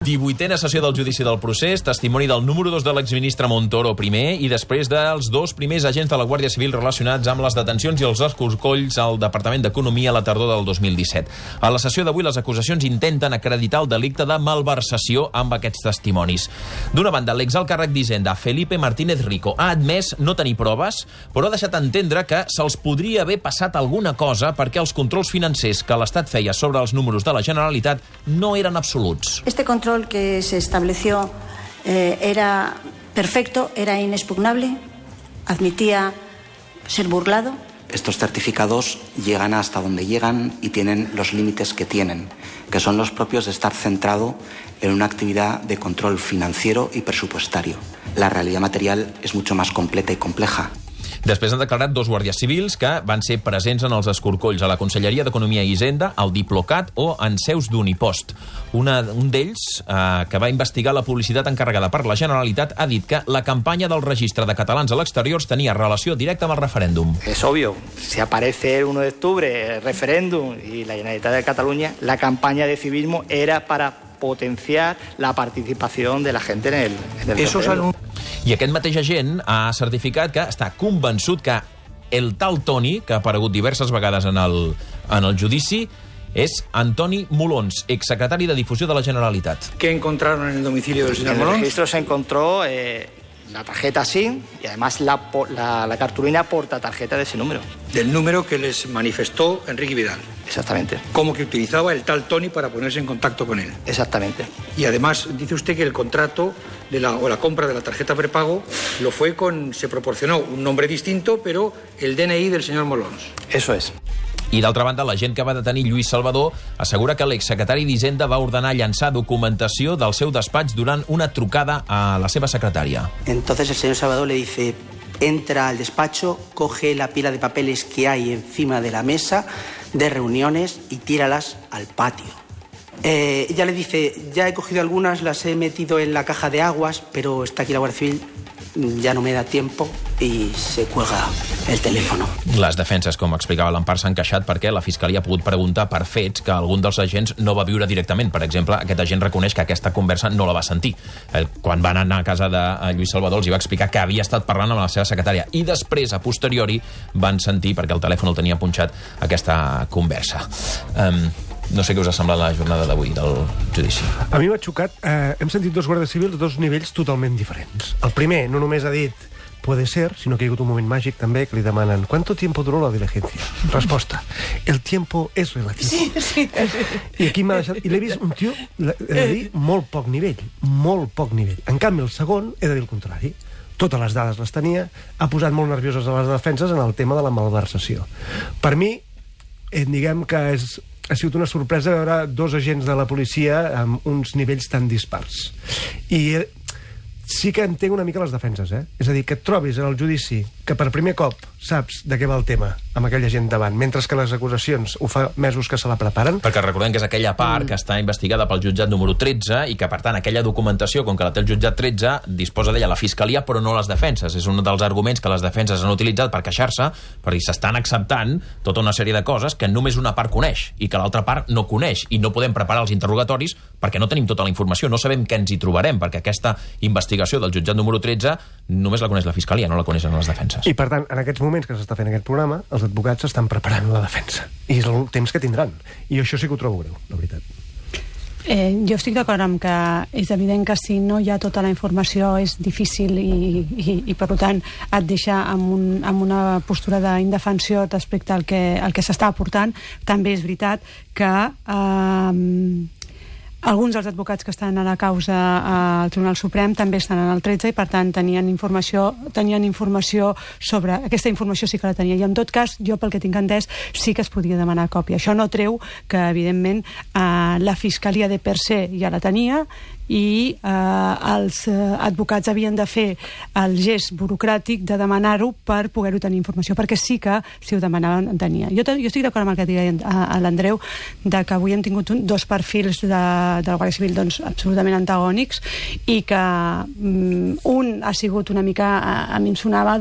18a sessió del judici del procés, testimoni del número 2 de l'exministre Montoro primer i després dels 2 primers agents de la Guàrdia Civil relacionats amb les detencions i els escorcolls al Departament d'Economia a la tardor del 2017. A la sessió d'avui, les acusacions intenten acreditar el delicte de malversació amb aquests testimonis. D'una banda, l'exalt càrrec d'Hisenda, Felipe Martínez Rico, ha admès no tenir proves, però ha deixat entendre que se'ls podria haver passat alguna cosa perquè els controls financers que l'Estat feia sobre els números de la Generalitat no eren absoluts. Este control que se estableció era perfecto, era inexpugnable, admitía ser burlado. Estos certificados llegan hasta donde llegan y tienen los límites que tienen, que son los propios de estar centrado en una actividad de control financiero y presupuestario. La realidad material es mucho más completa y compleja. Després han declarat 2 guàrdies civils que van ser presents en els escorcolls a la Conselleria d'Economia i Hisenda, al Diplocat o en seus d'Unipost. Un d'ells, que va investigar la publicitat encarregada per la Generalitat, ha dit que la campanya del registre de catalans a l'exterior tenia relació directa amb el referèndum. Es obvio, si aparece el 1 de octubre el referéndum y la Generalitat de Cataluña, la campaña de civismo era para potenciar la participación de la gente en el referéndum. I aquest mateix agent ha certificat que està convençut que el tal Toni, que ha aparegut diverses vegades en el judici, és Antoni Molons, exsecretari de Difusió de la Generalitat. ¿Qué encontraron en el domicilio del señor Molons? En el registro se encontró la tarjeta SIM y además la cartulina portatarjeta de ese número. Del número que les manifestó Enrique Vidal. Exactamente. Como que utilizaba el tal Toni para ponerse en contacto con él. Exactamente. Y además dice usted que el contrato o la compra de la tarjeta prepago se proporcionó un nombre distinto, pero el DNI del señor Molons. Eso es. I d'altra banda, l'agent que va detenir Lluís Salvador assegura que l'exsecretari d'Hisenda va ordenar llançar documentació del seu despatx durant una trucada a la seva secretària. Entonces el señor Salvador le dice: entra al despacho, coge la pila de papeles que hay encima de la mesa de reuniones y tíralas al patio. Ella le dice: ya he cogido algunas, las he metido en la caja de aguas, pero está aquí la Guardia Civil, ja no me da tiempo, i se cuelga el teléfono. Les defenses, com explicava l'Empar, s'han queixat perquè la Fiscalia ha pogut preguntar per fets que algun dels agents no va viure directament. Per exemple, aquest agent reconeix que aquesta conversa no la va sentir. Quan van anar a casa de Lluís Salvador els hi va explicar que havia estat parlant amb la seva secretària i després, a posteriori, van sentir, perquè el telèfon el tenia punxat, aquesta conversa. No sé què us ha semblat la jornada d'avui del judici. A mi m'ha xocat. Hem sentit 2 guàrdies civils de 2 nivells totalment diferents. El primer no només ha dit puede ser, sinó que hi ha hagut un moment màgic també que li demanen ¿cuánto tiempo duró la diligencia? Resposta: el tiempo es relativo. Sí. I aquí m'ha deixat... I l'he vist un tio, he de dir, molt poc nivell. Molt poc nivell. En canvi, el segon, he de dir el contrari. Totes les dades les tenia, ha posat molt nervioses a les defenses en el tema de la malversació. Per mi, diguem que ha sigut una sorpresa veure 2 agents de la policia amb uns nivells tan dispars. I sí que entenc una mica les defenses, És a dir, que et trobis en el judici que per primer cop saps de què va el tema amb aquella gent davant, mentre que les acusacions ho fa mesos que se la preparen. Perquè recordem que és aquella part que està investigada pel jutjat número 13 i que, per tant, aquella documentació, com que la té el jutjat 13, disposa d'ella la Fiscalia, però no les defenses. És un dels arguments que les defenses han utilitzat per queixar-se, perquè s'estan acceptant tota una sèrie de coses que només una part coneix i que l'altra part no coneix, i no podem preparar els interrogatoris perquè no tenim tota la informació, no sabem què ens hi trobarem, perquè aquesta investigació del jutjat número 13 només la coneix la Fiscalia, no la coneixen les defenses. I, per tant, en aquests moments que s'està fent aquest programa, els advocats estan preparant la defensa. I és el temps que tindran. I això sí que ho trobo greu, la veritat. Jo estic d'acord amb que és evident que si no hi ha tota la informació és difícil i per tant, et deixa amb una postura d'indefensió respecte al que s'està aportant. També és veritat que alguns dels advocats que estan a la causa al Tribunal Suprem també estan en el 13 i, per tant, tenien informació sobre... Aquesta informació sí que la tenia. I, en tot cas, jo, pel que tinc entès, sí que es podia demanar còpia. Això no treu que, evidentment, la Fiscalia de per se ja la tenia i els advocats havien de fer el gest burocràtic de demanar-ho per poder-ho tenir informació, perquè sí que, si ho demanaven, en tenia. Jo estic d'acord amb el que deia l'Andreu, de que avui hem tingut 2 perfils de la Guàrdia Civil absolutament antagònics i que un ha sigut una mica, a mi em sonava,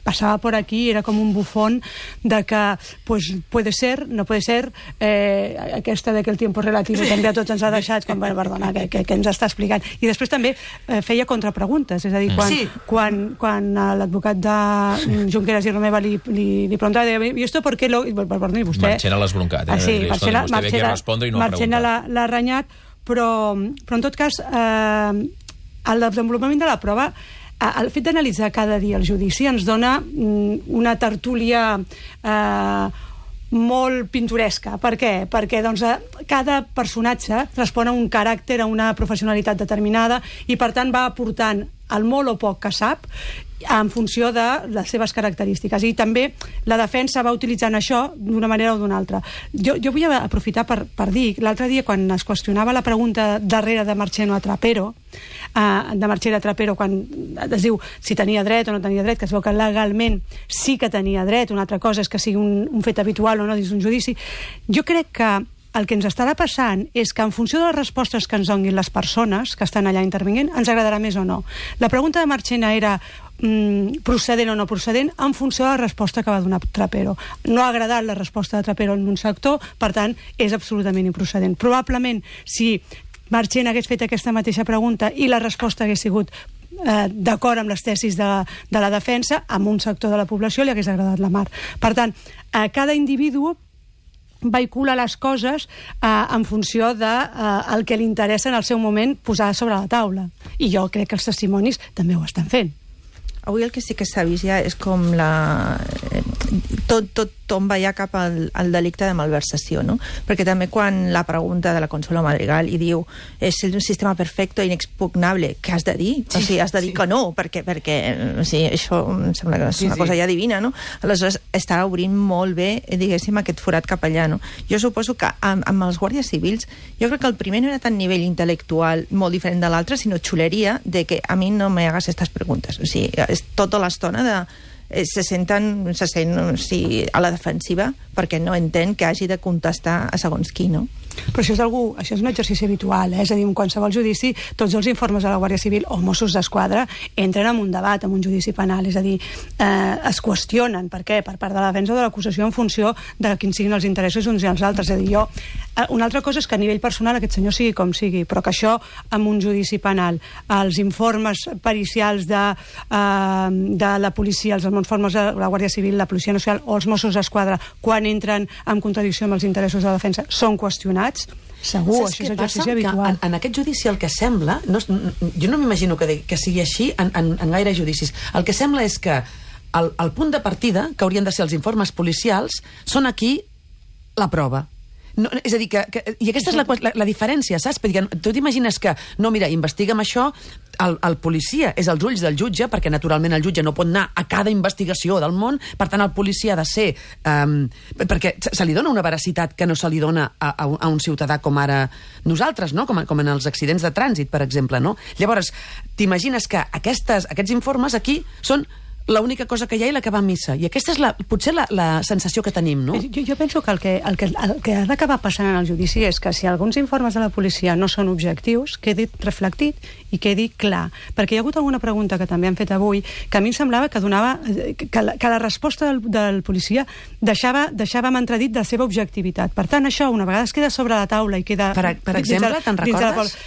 passava per aquí, era com un bufón de que, puede ser, no puede ser, aquesta de que el tiempo relativo també a tots ens ha deixat, com, perdona, que ens l'està explicant. I després també feia contrapreguntes, és a dir, quan l'advocat de Junqueras i Romeva li preguntava, i esto por qué perdoni, vostè... Marchena l'ha esbroncat, Sí, Marchena l'ha renyat, però en tot cas el desenvolupament de la prova, el fet d'analitzar cada dia el judici ens dona una tertúlia molt pintoresca. Per què? Perquè cada personatge respon a un caràcter, a una professionalitat determinada i per tant va aportant el molt o poc que sap en funció de les seves característiques, i també la defensa va utilitzant això d'una manera o d'una altra. Jo vull aprofitar per dir, l'altre dia quan es qüestionava la pregunta darrere de Marchena a Trapero, quan es diu si tenia dret o no tenia dret, que es veu que legalment sí que tenia dret, una altra cosa és que sigui un fet habitual o no dins d'un judici. Jo crec que el que ens estarà passant és que en funció de les respostes que ens donin les persones que estan allà intervinguent, ens agradarà més o no. La pregunta de Marchena era procedent o no procedent en funció de la resposta que va donar Trapero. No ha agradat la resposta de Trapero en un sector, per tant, és absolutament improcedent. Probablement, si Marchena hagués fet aquesta mateixa pregunta i la resposta hagués sigut d'acord amb les tesis de la defensa, amb un sector de la població li hagués agradat la mar. Per tant, cada individu vehicula les coses en funció del que li interessa en el seu moment posar sobre la taula. I jo crec que els testimonis també ho estan fent. Avui el que sí que s'ha vist ja és com tot va ja cap al delicte de malversació, no? Perquè també quan la pregunta de la Consuelo Madrigal i diu és un sistema perfecte i inexpugnable, què has de dir? O sigui, has de dir que no, perquè això em sembla que és una cosa ja divina, no? Aleshores, està obrint molt bé, diguéssim, aquest forat cap allà, no? Jo suposo que amb els guàrdies civils, jo crec que el primer no era tant nivell intel·lectual molt diferent de l'altre, sinó xuleria de que a mi no me hagas estas preguntes. O sigui, és tota l'estona se sent a la defensiva perquè no entén que hagi de contestar a segons qui, no? Però això és un exercici habitual, és a dir, en qualsevol judici, tots els informes de la Guàrdia Civil o Mossos d'Esquadra entren en un debat, en un judici penal, és a dir, es qüestionen, per què? Per part de la defensa o de l'acusació en funció de quins siguin els interessos uns i els altres. És a dir, una altra cosa és que a nivell personal aquest senyor sigui com sigui, però que això en un judici penal, els informes pericials de la policia, els informes de la Guàrdia Civil, la Policia Nacional o els Mossos d'Esquadra, quan entren en contradicció amb els interessos de la defensa, són qüestionats. Segur, això és exercici habitual. En aquest judici el que sembla, jo no m'imagino que sigui així en gaire judicis, el que sembla és que el punt de partida, que haurien de ser els informes policials, són aquí la prova. No, és a dir, i aquesta és la diferència, saps? Perquè tu t'imagines que, no, mira, investiga'm això, el policia és als ulls del jutge, perquè naturalment el jutge no pot anar a cada investigació del món, per tant el policia ha de ser... perquè se li dona una veracitat que no se li dona a un ciutadà com ara nosaltres, no? Com en els accidents de trànsit, per exemple, no? Llavors, t'imagines que aquests informes aquí són l'única cosa que hi ha i la que va a missa. I aquesta és potser la sensació que tenim, no? Jo penso que el que ha d'acabar passant en el judici és que si alguns informes de la policia no són objectius, quedi reflectit i quedi clar. Perquè hi ha hagut alguna pregunta que també han fet avui que a mi em semblava que donava... que la resposta del policia deixava amb entredit de la seva objectivitat. Per tant, això, una vegada es queda sobre la taula i queda... Per exemple, te'n recordes?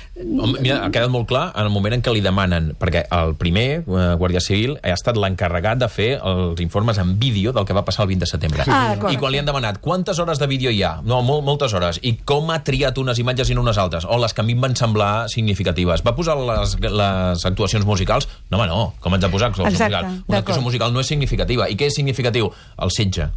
Mira, ha quedat molt clar en el moment en què li demanen, perquè el primer Guàrdia Civil ha estat l'encarregat de fer els informes en vídeo del que va passar el 20 de setembre. I quan li han demanat quantes hores de vídeo hi ha? No, moltes hores. I com ha triat unes imatges i no unes altres? O les que a mi em van semblar significatives. Va posar les actuacions musicals? No, home, no. Com ens ha posat actuació musical? Una actuació musical no és significativa. I què és significatiu? El setge.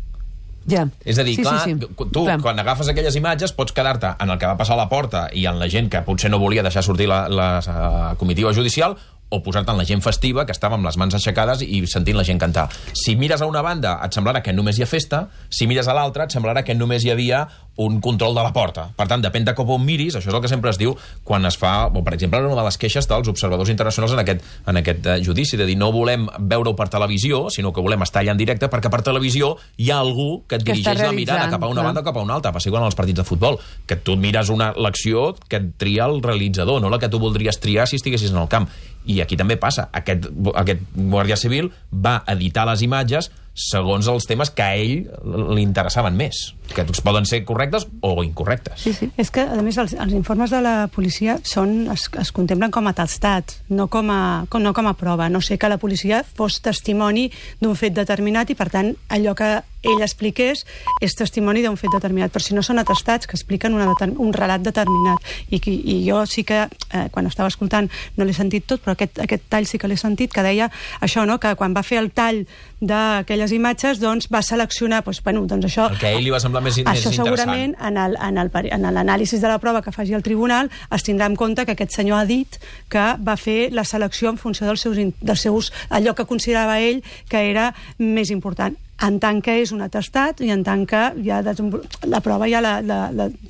Ja. És a dir, tu, quan agafes aquelles imatges, pots quedar-te en el que va passar a la porta i en la gent que potser no volia deixar sortir la comitiva judicial, o posar-te en la gent festiva, que estava amb les mans aixecades i sentint la gent cantar. Si mires a una banda, et semblarà que només hi ha festa, si mires a l'altra, et semblarà que només hi havia un control de la porta. Per tant, depèn de com on miris, això és el que sempre es diu quan es fa, o per exemple, una de les queixes dels observadors internacionals en aquest judici, de dir, no volem veure-ho per televisió, sinó que volem estar allà en directe, perquè per televisió hi ha algú que et dirigeix la mirada cap a una banda o cap a una altra, passi igual en els partits de futbol, que tu mires l'acció que et tria el realitzador, no la que tu voldries triar si estiguessis en el camp. I aquí també passa. Aquest guàrdia civil va editar les imatges segons els temes que a ell li interessaven més, que poden ser correctes o incorrectes. Sí. És que, a més, els informes de la policia es contemplen com a atestats, no com a prova. No sé que la policia fos testimoni d'un fet determinat i, per tant, allò que ell expliqués és testimoni d'un fet determinat, però si no són atestats que expliquen un relat determinat. I jo sí que, quan estava escoltant, no l'he sentit tot, però aquest tall sí que l'he sentit, que deia això, no?, que quan va fer el tall d'aquelles imatges, doncs va seleccionar, doncs això... El que a ell li va semblar més interessant. Això segurament, en l'anàlisi de la prova que faci el tribunal, es tindrà en compte que aquest senyor ha dit que va fer la selecció en funció dels seus allò que considerava ell que era més important, en tant que és un atestat i en tant que ja la prova ja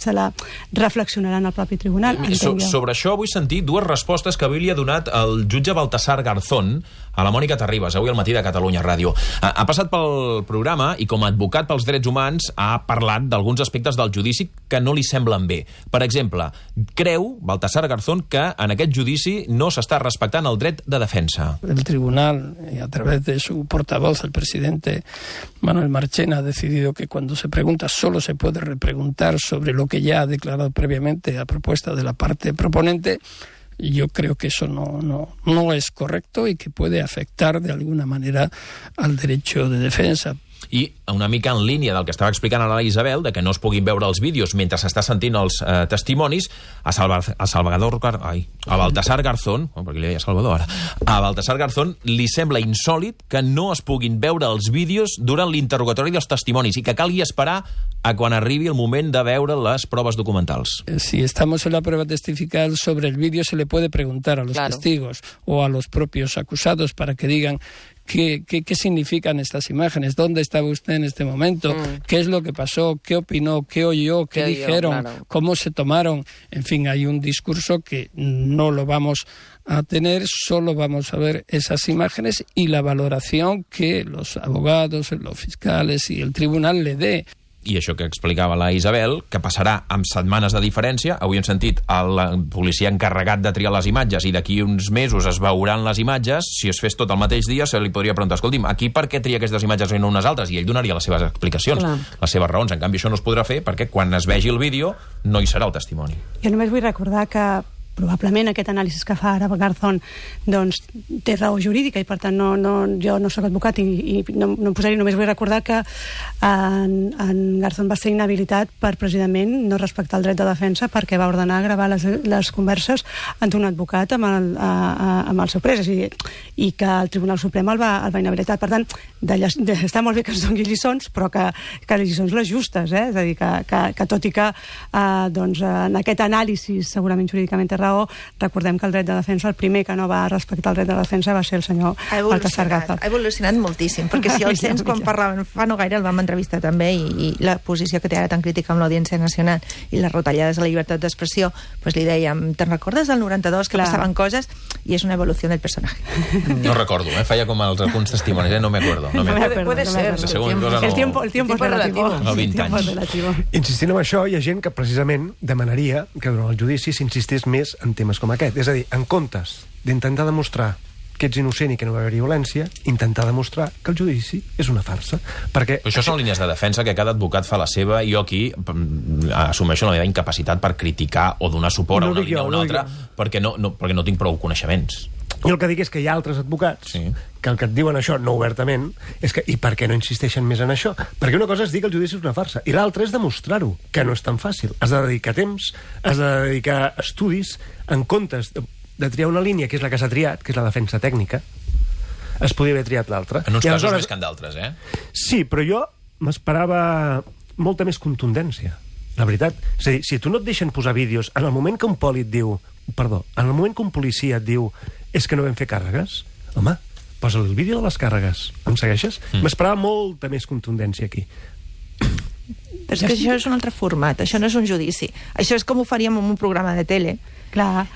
se la reflexionarà en el propi tribunal. Sobre això vull sentir dues respostes que avui li ha donat el jutge Baltasar Garzón a la Mònica Terribas, avui al matí de Catalunya Ràdio. Ha passat pel programa i com a advocat pels drets humans ha parlat d'alguns aspectes del judici que no li semblen bé. Per exemple, creu Baltasar Garzón que en aquest judici no s'està respectant el dret de defensa. El tribunal, a través de su portavoz, el presidente Manuel Marchena, ha decidido que cuando se pregunta solo se puede repreguntar sobre lo que ya ha declarado previamente a propuesta de la parte proponente. Yo creo que eso no es correcto y que puede afectar de alguna manera al derecho de defensa. I una mica en línia del que estava explicant ara la Isabel, de que no es puguin veure els vídeos mentre s'està sentint els testimonis, a Baltasar Garzón, perquè li deia Salvador ara, a Baltasar Garzón li sembla insòlit que no es puguin veure els vídeos durant l'interrogatori dels testimonis i que calgui esperar a quan arribi el moment de veure les proves documentals. Si estamos en la prueba testifical, sobre el vídeo se le puede preguntar a los testigos o a los propios acusados para que digan ¿qué significan estas imágenes? ¿Dónde estaba usted en este momento? ¿Qué es lo que pasó? ¿Qué opinó? ¿Qué oyó? ¿Qué dijeron? Claro. ¿Cómo se tomaron? En fin, hay un discurso que no lo vamos a tener, solo vamos a ver esas imágenes y la valoración que los abogados, los fiscales y el tribunal le dé. I això que explicava la Isabel, que passarà amb setmanes de diferència. Avui hem sentit el policia encarregat de triar les imatges i d'aquí uns mesos es veuran les imatges. Si es fes tot el mateix dia, se li podria preguntar, escolti'm, aquí per què tria aquestes imatges i no unes altres? I ell donaria les seves explicacions, les seves raons. En canvi, això no es podrà fer perquè quan es vegi el vídeo no hi serà el testimoni. Jo només vull recordar que probablement aquest anàlisi que fa ara Garzón doncs té raó jurídica i per tant jo no soc advocat i no em posaré, només vull recordar que en Garzón va ser inhabilitat per precisament no respectar el dret de defensa perquè va ordenar gravar les converses amb un advocat amb el seu pres i que el Tribunal Suprem el va inhabilitar. Per tant, està molt bé que es doni lliçons però que les lliçons les justes, és a dir, que tot i que en aquest anàlisi segurament jurídicament té raó, recordem que el dret de defensa, el primer que no va respectar el dret de defensa va ser el senyor Baltasar Garzón. Ha evolucionat moltíssim, perquè si el sents quan parlaven fa no gaire el vam entrevistar també i la posició que té ara tan crítica amb l'Audiència Nacional i les retallades a la llibertat d'expressió, doncs li dèiem, te'n recordes del 92 que passaven coses? I és una evolució del personatge. No recordo, feia com alguns testimonis, no me acuerdo. Puede ser. El tiempo es relativo. No, 20 anys. Insistint en això, hi ha gent que precisament demanaria que durant el judici s'insistís més en temes com aquest. És a dir, en comptes d'intentar demostrar que ets innocent i que no va haver violència, intentar demostrar que el judici és una farsa. Perquè això són línies de defensa que cada advocat fa la seva i jo aquí assumeixo la meva incapacitat per criticar o donar suport a una línia o una altra perquè no tinc prou coneixements. Jo el que dic és que hi ha altres advocats que el que et diuen això, no obertament, és que, i per què no insisteixen més en això? Perquè una cosa és dir que el judici és una farsa, i l'altra és demostrar-ho, que no és tan fàcil. Has de dedicar temps, has de dedicar estudis, en comptes de triar una línia, que és la que s'ha triat, que és la defensa tècnica, es podria haver triat l'altra. En uns casos més que en d'altres, Sí, però jo m'esperava molta més contundència, la veritat. És a dir, si tu no et deixen posar vídeos, en el moment que un poli et diu, en el moment que un policia et diu és que no vam fer càrregues, home, posa el vídeo de les càrregues. Em segueixes? M'esperava molta més contundència aquí. Però és que això és un altre format, això no és un judici. Això és com ho faríem en un programa de tele. Clar,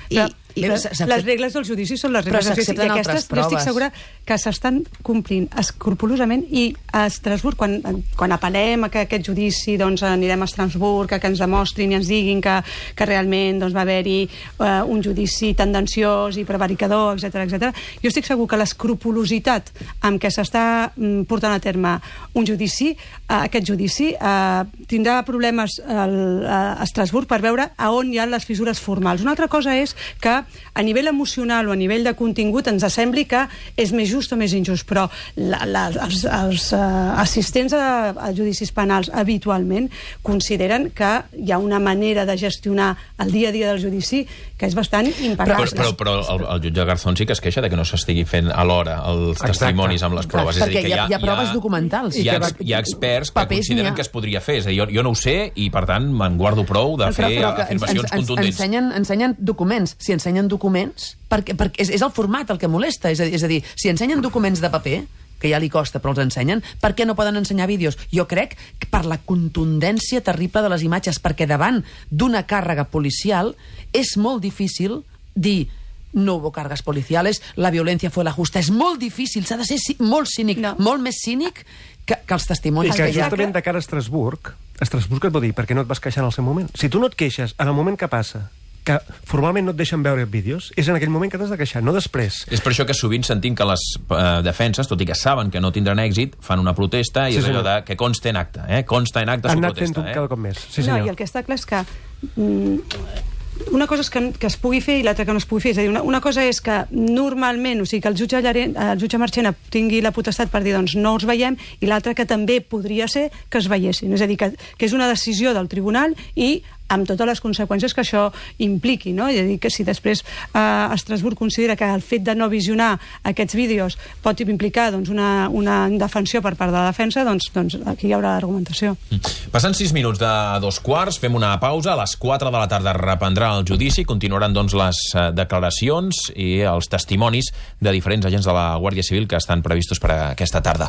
les regles del judici són les regles del judici. Però s'accepten altres proves. Jo estic segura que s'estan complint escrupolosament, i a Estrasburg, quan apel·lem a que aquest judici anirem a Estrasburg, que ens demostrin i ens diguin que realment va haver-hi un judici tendenciós i prevaricador, etc. Jo estic segur que l'escrupolositat amb què s'està portant a terme un judici, aquest judici, tindrà problemes a Estrasburg per veure a on hi ha les fissures formals. Una altra cosa és que a nivell emocional o a nivell de contingut ens sembli que és més just o més injust, però els assistents a judicis penals habitualment consideren que hi ha una manera de gestionar el dia a dia del judici que és bastant impecable. Però el jutge Garzón sí que es queixa de que no s'estigui fent alhora els testimonis amb les proves. Perquè hi ha proves documentals. Hi ha experts que consideren que es podria fer. És a dir, jo no ho sé i, per tant, me'n guardo prou de fer afirmacions contundents. Ensenyen documents. Si ensenyen documents, perquè és el format el que molesta. És a dir, si ensenyen documents de paper, que ja li costa, però els ensenyen, per què no poden ensenyar vídeos? Jo crec que per la contundència terrible de les imatges, perquè davant d'una càrrega policial és molt difícil dir no hubo cargas policiales, la violencia fue la justa. És molt difícil, s'ha de ser molt cínic, molt més cínic que els testimonis. I que justament de cara a Estrasburg et pot dir, perquè no et vas queixar en el seu moment. Si tu no et queixes en el moment que passa, que formalment no et deixen veure vídeos, és en aquell moment que t'has de queixar, no després. És per això que sovint sentim que les defenses, tot i que saben que no tindran èxit, fan una protesta i és allò de que consta en acta, consta en acta su protesta. Anat fent cada cop més. No, i el que està clar és que una cosa és que es pugui fer i l'altra que no es pugui fer. És a dir, una cosa és que normalment, o sigui, que el jutge Marchena tingui la potestat per dir, doncs, no els veiem, i l'altra que també podria ser que es veiessin. És a dir, que és una decisió del tribunal i amb totes les conseqüències que això impliqui, no? És a dir, que si després Estrasburg considera que el fet de no visionar aquests vídeos pot implicar una indefensió per part de la defensa, doncs aquí hi haurà argumentació. Passant 6 minuts de 2:15, fem una pausa. A les 4 de la tarda reprendrà el judici, continuaran les declaracions i els testimonis de diferents agents de la Guàrdia Civil que estan previstos per aquesta tarda.